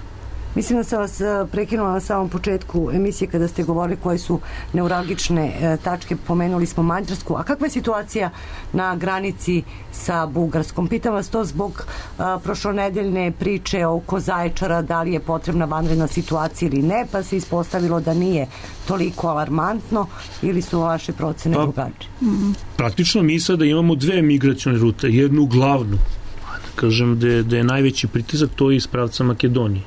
Mislim da sam vas prekinula na samom početku emisije kada ste govorili koje su neuralgične tačke, pomenuli smo Mađarsku. A kakva je situacija na granici sa Bugarskom? Pitam vas to zbog a, prošlonedeljne priče oko Zaječara, da li je potrebna vanredna situacija ili ne, pa se ispostavilo da nije toliko alarmantno, ili su vaše procene pa, drugačije? Praktično mi sada imamo dve migracione rute, jednu glavnu, da kažem da je, da je najveći pritisak, to je iz pravca Makedonije.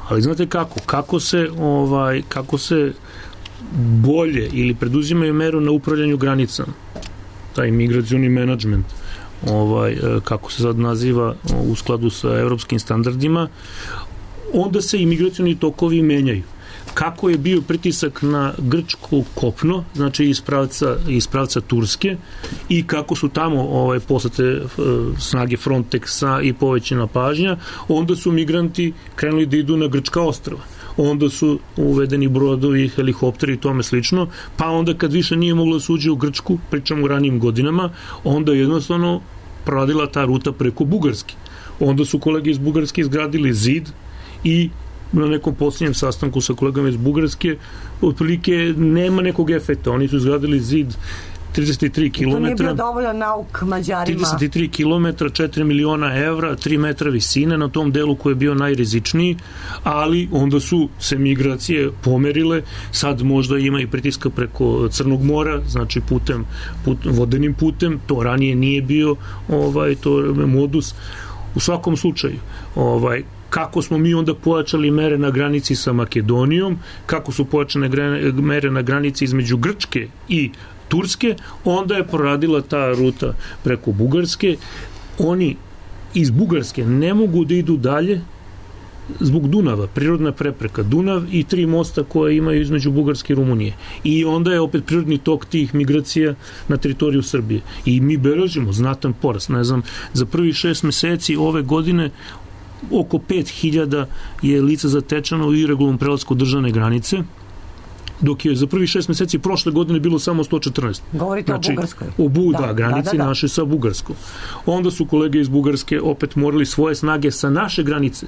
Ali znate kako? Kako se, ovaj, kako se bolje ili preduzimaju meru na upravljanju granicama, taj migracioni menadžment, ovaj, kako se sad naziva u skladu sa evropskim standardima, onda se i migracioni tokovi menjaju. Kako je bio pritisak na Grčko kopno, znači iz pravca, iz pravca Turske, i kako su tamo ovaj, poslate snage Frontexa i povećana pažnja, onda su migranti krenuli da idu na grčka ostrva. Onda su uvedeni brodovi, helikopteri i tome slično, pa onda kad više nije moglo da se uđe u Grčku, pričamo u ranijim godinama, onda jednostavno proradila ta ruta preko Bugarske. Onda su kolege iz Bugarske izgradili zid i na nekom posljednjem sastanku sa kolegama iz Bugarske otprilike nema nekog efekta. Oni su izgradili zid trideset tri kilometra. To nije bio dovoljan nauk Mađarima. trideset tri kilometra, četiri miliona evra, tri metra visine na tom delu koji je bio najrizičniji, ali onda su se migracije pomerile. Sad možda ima i pritiska preko Crnog mora, znači putem, put, vodenim putem. To ranije nije bio ovaj, to modus. U svakom slučaju, ovaj, kako smo mi onda pojačali mere na granici sa Makedonijom, kako su pojačane mere na granici između Grčke i Turske, onda je proradila ta ruta preko Bugarske. Oni iz Bugarske ne mogu da idu dalje zbog Dunava, prirodna prepreka, Dunav i tri mosta koje imaju između Bugarske i Rumunije. I onda je opet prirodni tok tih migracija na teritoriju Srbije. I mi beležimo znatan porast. Ne znam, za prvih šest meseci ove godine oko pet hiljada je lica zatečeno u iregularnom prelasku državne granice, dok je za prvih šest meseci prošle godine bilo samo sto četrnaest. Govorite znači, o Bugarskoj. O Buda, da, granici da, da, da. naše sa Bugarskom. Onda su kolege iz Bugarske opet morali svoje snage sa naše granice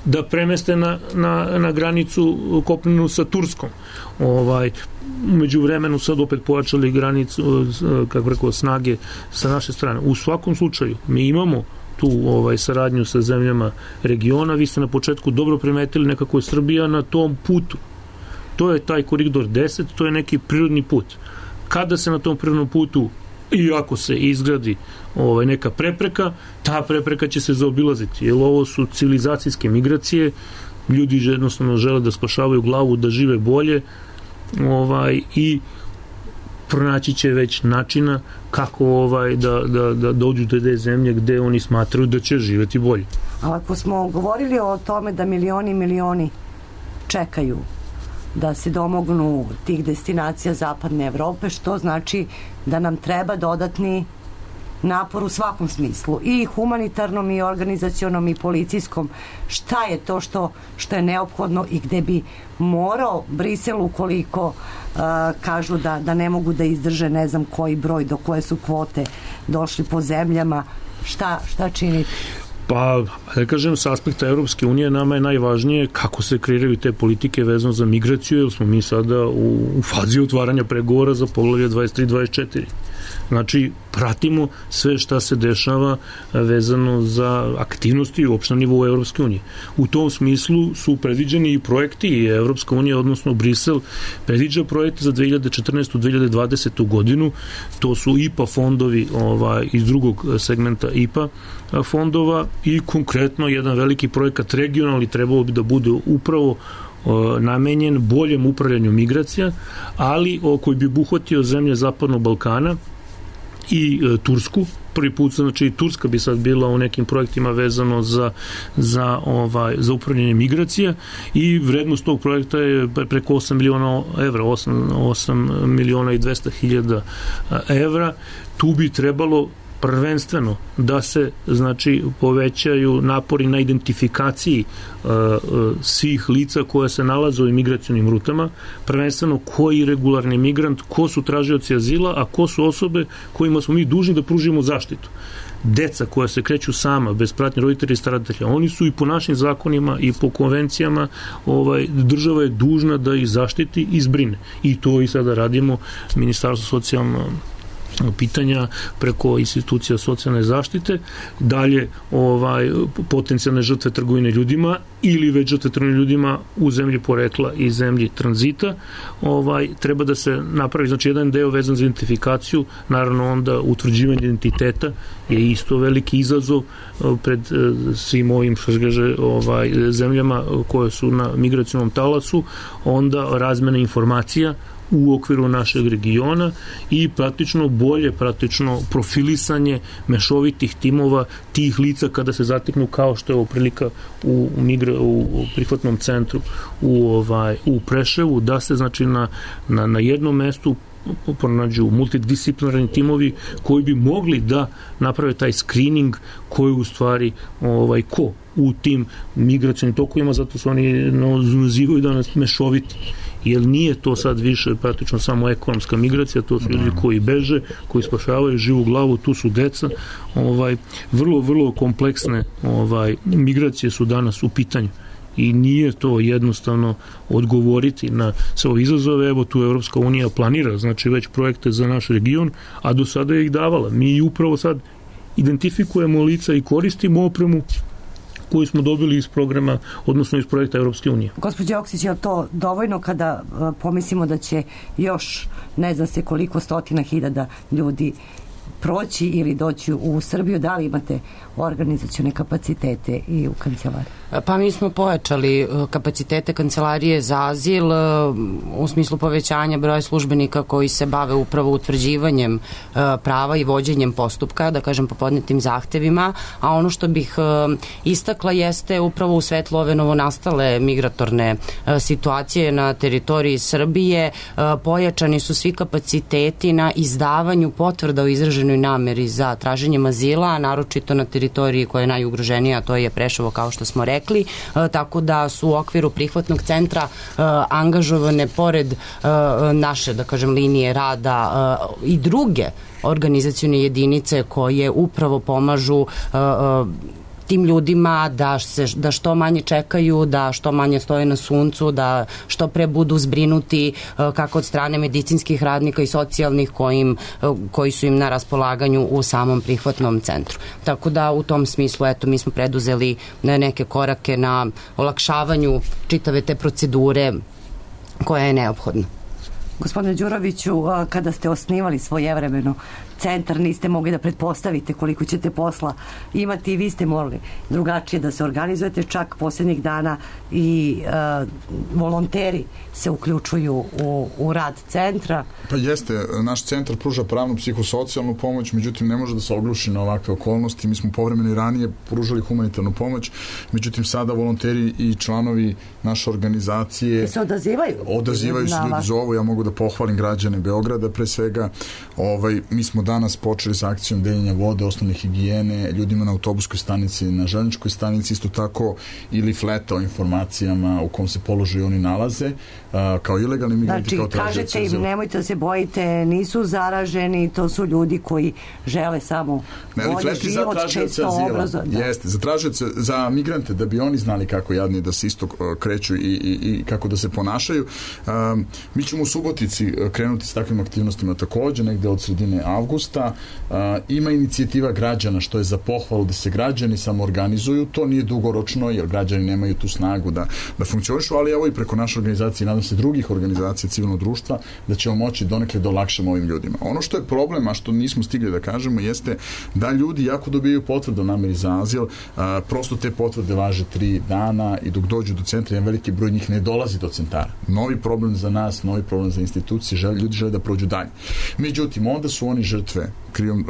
da premeste na, na, na granicu kopnenu sa Turskom. Ovaj, umeđu vremenu sad opet pojačali granicu, kako rekao, snage sa naše strane. U svakom slučaju, mi imamo tu ovaj, saradnju sa zemljama regiona. Vi ste na početku dobro primetili, nekako je Srbija na tom putu. To je taj koridor deset, to je neki prirodni put. Kada se na tom prirodnom putu, i ako se izgradi ovaj, neka prepreka, ta prepreka će se zaobilaziti, jer ovo su civilizacijske migracije, ljudi jednostavno žele da spašavaju glavu, da žive bolje, ovaj, i pronaći će već načina kako ovaj, da, da, da dođu do te zemlje gde oni smatraju da će živeti bolje. Ali ako smo govorili o tome da milioni i milioni čekaju da se domognu tih destinacija zapadne Evrope, što znači da nam treba dodatni napor u svakom smislu, i humanitarnom, i organizacionom, i policijskom. Šta je to što, što je neophodno i gde bi morao Brisel, ukoliko uh, kažu da, da ne mogu da izdrže ne znam koji broj, do koje su kvote došli po zemljama, šta, šta činiti? Pa, da kažem, s aspekta Evropske unije nama je najvažnije kako se kreiraju te politike vezano za migraciju, jer smo mi sada u, u fazi otvaranja pregovora za poglavlje dvadeset tri dvadeset četiri. Znači, pratimo sve šta se dešava vezano za aktivnosti uopšte na nivou Evropske unije. U tom smislu su predviđeni i projekti i Evropska unija, odnosno Brisel, predviđa projekte za dve hiljade četrnaestu do dve hiljade dvadesete. godinu. To su I P A fondovi ovaj, iz drugog segmenta I P A fondova i konkretno jedan veliki projekat regionalni trebao bi da bude upravo namenjen boljem upravljanju migracija, ali koji bi obuhvatio zemlje Zapadnog Balkana i e, Tursku. Prvi put, znači Turska bi sad bila u nekim projektima vezano za, za, ovaj, za upravljanje migracija i vrednost tog projekta je preko osam miliona evra, osam miliona i dvesta hiljada evra. Tu bi trebalo prvenstveno da se znači povećaju napori na identifikaciji uh, uh, svih lica koja se nalaze u imigracionim rutama, prvenstveno koji regularni migrant, ko su tražioci azila, a ko su osobe kojima smo mi dužni da pružimo zaštitu. Deca koja se kreću sama, bez pratnje roditelja i staratelja, oni su i po našim zakonima i po konvencijama, ovaj, država je dužna da ih zaštiti i zbrine. I to i sada radimo, Ministarstvo socijalno pitanja preko institucija socijalne zaštite, dalje ovaj, potencijalne žrtve trgovine ljudima ili već žrtve trgovine ljudima u zemlji porekla i zemlji tranzita, ovaj, treba da se napravi, znači jedan deo vezan za identifikaciju, naravno onda utvrđivanje identiteta je isto veliki izazov pred svim ovim, što se kaže, ovaj, zemljama koje su na migracionom talasu, onda razmena informacija u okviru našeg regiona i praktično bolje praktično profilisanje mešovitih timova tih lica kada se zateknu, kao što je ovo prilika u, migra, u prihvatnom centru u, ovaj, u Preševu, da se znači na, na, na jednom mestu pronađu multidisciplinarni timovi koji bi mogli da naprave taj screening koji u stvari ovaj, ko u tim migracionim tokovima, zato su oni nazivaju danas mešoviti, jer nije to sad više praktično samo ekonomska migracija, to su ljudi koji beže, koji spašavaju živu glavu, tu su deca, ovaj, vrlo, vrlo kompleksne ovaj, migracije su danas u pitanju i nije to jednostavno odgovoriti na sve ove izazove. Evo tu Evropska unija planira, znači već projekte za naš region, a do sada je ih davala. Mi upravo sad identifikujemo lica i koristimo opremu koju smo dobili iz programa, odnosno iz projekta Evropske unije. Gospođo Oksić, je li to dovoljno kada pomislimo da će još ne zna se koliko stotina hiljada ljudi proći ili doći u Srbiju? Da li imate organizacione kapacitete i u kancelariji? Pa mi smo pojačali kapacitete Kancelarije za azil u smislu povećanja broja službenika koji se bave upravo utvrđivanjem prava i vođenjem postupka, da kažem po podnetim zahtevima, a ono što bih istakla jeste upravo u svetlu ove novonastale migratorne situacije na teritoriji Srbije, pojačani su svi kapaciteti na izdavanju potvrda o izraženoj nameri za traženjem azila, naročito na teritoriji koja je najugroženija, to je Preševo, kao što smo rekli. Rekli, tako da su u okviru prihvatnog centra uh, angažovane pored uh, naše, da kažem, linije rada uh, i druge organizacione jedinice koje upravo pomažu uh, uh, tim ljudima da, se, da što manje čekaju, da što manje stoje na suncu, da što pre budu zbrinuti kako od strane medicinskih radnika i socijalnih kojim, koji su im na raspolaganju u samom prihvatnom centru. Tako da u tom smislu, eto, mi smo preduzeli neke korake na olakšavanju čitave te procedure koja je neophodna. Gospodine Đuroviću, kada ste osnivali svojevremeno centar, niste mogli da pretpostavite koliko ćete posla imati i vi ste morali drugačije da se organizujete, čak posljednjih dana i uh, volonteri se uključuju u, u rad centra. Pa jeste, naš centar pruža pravnu psihosocijalnu pomoć, međutim ne može da se ogluši na ovakve okolnosti. Mi smo povremeno i ranije pružali humanitarnu pomoć, međutim sada volonteri i članovi naše organizacije se odazivaju. Odazivaju se, ljudi zovu, ja mogu da pohvalim građane Beograda pre svega. Ovaj, mi smo danas počeli sa akcijom deljenja vode, osnovne higijene, ljudima na autobuskoj stanici, na železničkoj stanici, isto tako ili fleta o informacijama u kom se položaju oni nalaze, a, kao ilegalni migranti. Znači, kao kažete im, nemojte da se bojite, nisu zaraženi, to su ljudi koji žele samo bolje život, često obrazovanje. Da. Jeste, za tražioce, za migrante, da bi oni znali kako jadni da se isto kreću i, i, i kako da se ponašaju. A, mi ćemo u Subotici krenuti s takvim aktivnostima takođe, negde od sredine avgusta. avgusta. Ima inicijativa građana, što je za pohvalu da se građani samo organizuju. To nije dugoročno, jer građani nemaju tu snagu da, da funkcionišu, ali evo i preko naše organizacije, nadam se drugih organizacija civilnog društva, da ćemo moći donekle da olakšamo ovim ljudima. Ono što je problem, a što nismo stigli da kažemo, jeste da ljudi jako dobijaju potvrdu o nameri za azil, a, prosto te potvrde važe tri dana i dok dođu do centra, jedan veliki broj njih ne dolazi do centara. Novi problem za nas, novi problem za institucije, žele, ljudi žele da prođu dalje. Međutim, onda su oni žrtve krijum,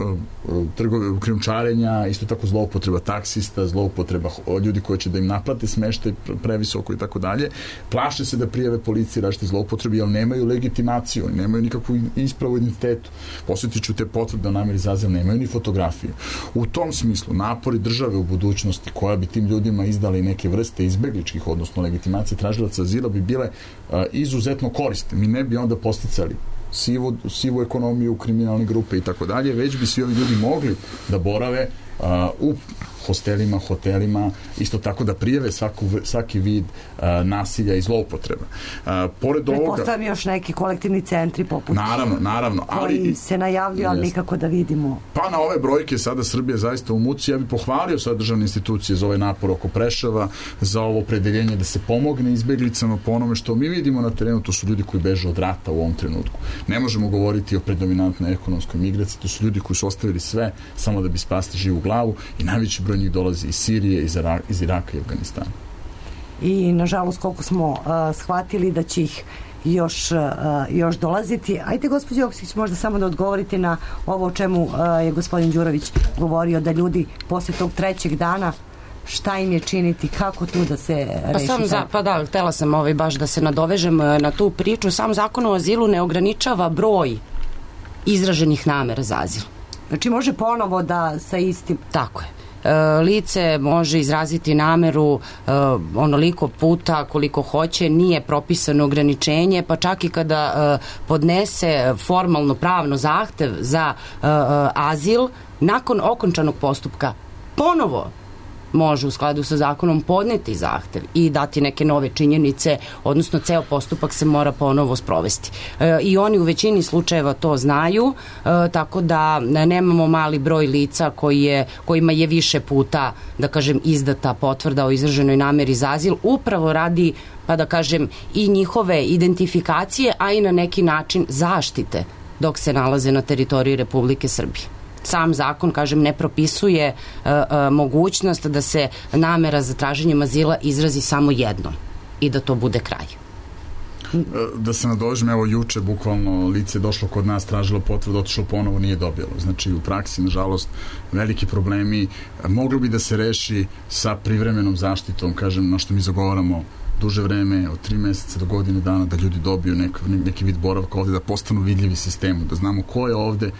trgove, krijumčarenja, isto tako zloupotreba taksista, zloupotreba ljudi koji će da im naplate smeštaj previsoko i tako dalje. Plaše se da prijave policiji različite zloupotrebi, jer nemaju legitimaciju, nemaju nikakvu ispravu identitetu. Posjetiću te potvrde o nameri za azil, nemaju ni fotografiju. U tom smislu, napori države u budućnosti koja bi tim ljudima izdala i neke vrste izbegličkih, odnosno legitimacije tražilaca azila, bi bile uh, izuzetno korisne. Mi ne bi onda posticali sivu, sivu ekonomiju, kriminalne grupe i tako dalje, već bi svi ovi ljudi mogli da borave uh, u hostelima, hotelima, isto tako da prijave svaku, svaki vid uh, nasilja i zloupotreba. Uh, pored ovoga... Pretpostavljam još neki kolektivni centri poput... Naravno, naravno. Ali, koji se najavljuju, ali nikako da vidimo. Pa na ove brojke sada Srbija zaista u muci. Ja bih pohvalio sad državne institucije za ovaj napor oko Preševa, za ovo opredeljenje da se pomogne izbeglicama po onome što mi vidimo na terenu. To su ljudi koji beže od rata u ovom trenutku. Ne možemo govoriti o predominantnoj ekonomskoj migraciji. To su ljudi koji su ostavili sve samo da bi spasli živu glavu i najveći broj njih dolazi iz Sirije, iz, Irak, iz Iraka i Afganistana. I nažalost koliko smo uh, shvatili da će ih još, uh, još dolaziti. Ajde, gospođo Joksić, možda samo da odgovorite na ovo o čemu uh, je gospodin Đurović govorio, da ljudi posle tog trećeg dana šta im je činiti, kako tu da se reši? Pa, sam za, pa da, htela sam ovaj baš da se nadovežem na tu priču. Sam zakon o azilu ne ograničava broj izraženih namera za azil. Znači može ponovo da sa istim... Tako je. Lice može izraziti nameru uh, onoliko puta koliko hoće, nije propisano ograničenje, pa čak i kada uh, podnese formalno pravno zahtev za uh, uh, azil, nakon okončanog postupka ponovo može u skladu sa zakonom podneti zahtev i dati neke nove činjenice, odnosno ceo postupak se mora ponovo sprovesti. E, I oni u većini slučajeva to znaju, e, tako da nemamo mali broj lica koji je, kojima je više puta, da kažem, izdata potvrda o izraženoj nameri za azil, upravo radi, pa da kažem, i njihove identifikacije, a i na neki način zaštite dok se nalaze na teritoriji Republike Srbije. Sam zakon, kažem, ne propisuje uh, uh, mogućnost da se namera za traženjem azila izrazi samo jednom i da to bude kraj. Da se nadovežem, evo juče bukvalno lice je došlo kod nas, tražilo potvrdu, otišlo ponovo, nije dobilo. Znači u praksi, nažalost, veliki problemi. Moglo bi da se reši sa privremenom zaštitom, kažem, na što mi zagovaramo duže vreme, od tri meseca do godine dana, da ljudi dobiju nek, neki vid boravka ovde, da postanu vidljivi sistemu, da znamo ko je ovde,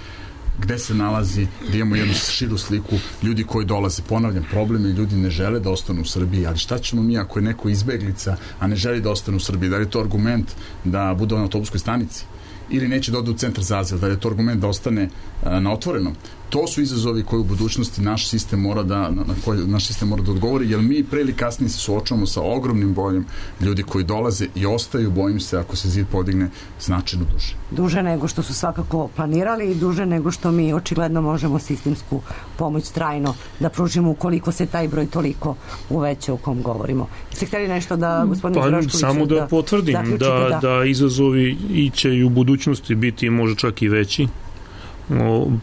gde se nalazi, da imamo jednu širu sliku ljudi koji dolaze. Ponavljam, problem je, ljudi ne žele da ostanu u Srbiji, ali šta ćemo mi ako je neko izbeglica, a ne želi da ostane u Srbiji? Da li je to argument da bude na autobuskoj stanici? Ili neće da ode u centar za azil? Da li je to argument da ostane a, na otvorenom? To su izazovi koji u budućnosti naš sistem mora da, na, na koji naš sistem mora da odgovori, jer mi pre ili kasnije se suočavamo sa ogromnim brojem ljudi koji dolaze i ostaju, bojim se, ako se zid podigne, značajno duže. Duže nego što su svakako planirali i duže nego što mi očigledno možemo sistemsku pomoć trajno da pružimo ukoliko se taj broj toliko uveća o kom govorimo. Ste htjeli nešto da, gospodin pa, Drašković... Samo da, da potvrdim da, da, da izazovi i će i u budućnosti biti možda čak i veći.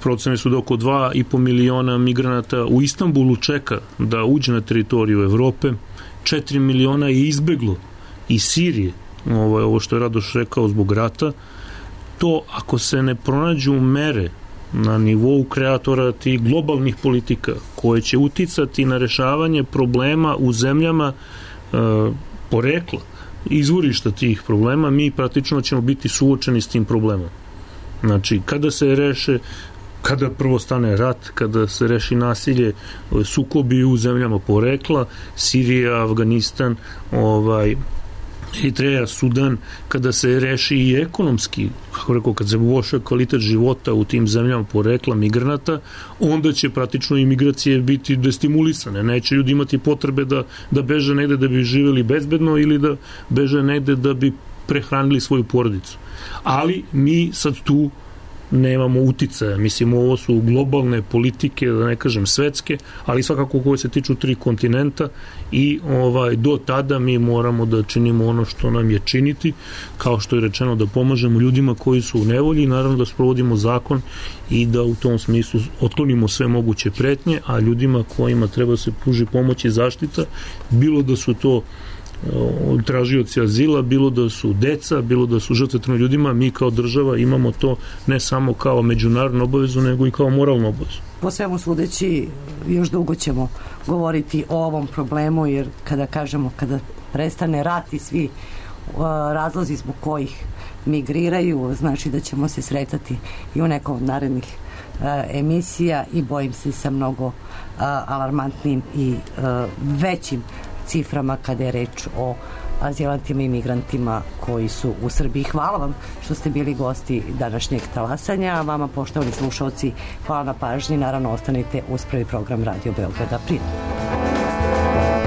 Procene su da oko dva i po miliona migranata u Istanbulu čeka da uđe na teritoriju Evrope, četiri miliona je izbeglo iz Sirije, ovo, ovo što je Radoš rekao, zbog rata. To ako se ne pronađu mere na nivou kreatora tih globalnih politika koje će uticati na rešavanje problema u zemljama e, porekla, izvorišta tih problema, mi praktično ćemo biti suočeni s tim problemom. Znači, kada se reše, kada prvo stane rat, kada se reši nasilje, sukobi u zemljama porekla, Sirija, Afganistan, ovaj, Eritreja, Sudan, kada se reši i ekonomski, kako rekao, kad se poboljša kvalitet života u tim zemljama porekla migranata, onda će praktično i migracije biti destimulisane. Neće ljudi imati potrebe da, da beže negde da bi živjeli bezbedno ili da beže negde da bi prehranili svoju porodicu. Ali mi sad tu nemamo uticaja. Mislim, ovo su globalne politike, da ne kažem svetske, ali svakako koje se tiču tri kontinenta i ovaj, do tada mi moramo da činimo ono što nam je činiti, kao što je rečeno, da pomažemo ljudima koji su u nevolji, naravno da sprovodimo zakon i da u tom smislu otklonimo sve moguće pretnje, a ljudima kojima treba se pruži pomoć i zaštita, bilo da su to tražioci azila, bilo da su deca, bilo da su žrtve ljudima, mi kao država imamo to ne samo kao međunarodnu obavezu, nego i kao moralnu obavezu. Po svemu sudeći, još dugo ćemo govoriti o ovom problemu, jer kada kažemo, kada prestane rat i svi uh, razlozi zbog kojih migriraju, znači da ćemo se sretati i u nekom od narednih uh, emisija i bojim se sa mnogo uh, alarmantnim i uh, većim ciframa kada je reč o azilantima i migrantima koji su u Srbiji. Hvala vam što ste bili gosti današnjeg talasanja, a vama, poštovani slušalci, hvala na pažnji. Naravno, ostanite uz prvi program Radio Beograda. Prijatno.